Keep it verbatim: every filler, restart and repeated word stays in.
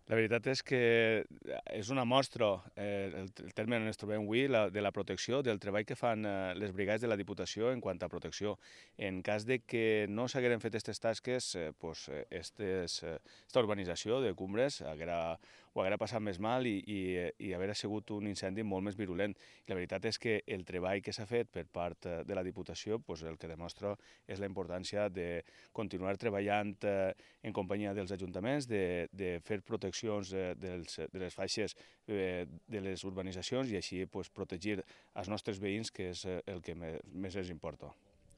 La veritat és que és una mostra, eh, el, el terme on ens trobem avui, la, de la protecció, del treball que fan eh, les brigades de la Diputació en quant a protecció. En cas de que no s'hagueren fet aquestes tasques, eh, pues, eh, estes, eh, esta urbanització de Cumbres haguera, ho haguera passat més mal i, i, i haguera sigut un incendi molt més virulent. I la veritat és que el treball que s'ha fet per part eh, de la Diputació pues, el que demostra és la importància de continuar treballant eh, en companyia dels ajuntaments, de, de fer proteccions de, dels, de les faixes eh, de les urbanitzacions i així pues, protegir els nostres veïns, que és eh, el que més, més ens importa.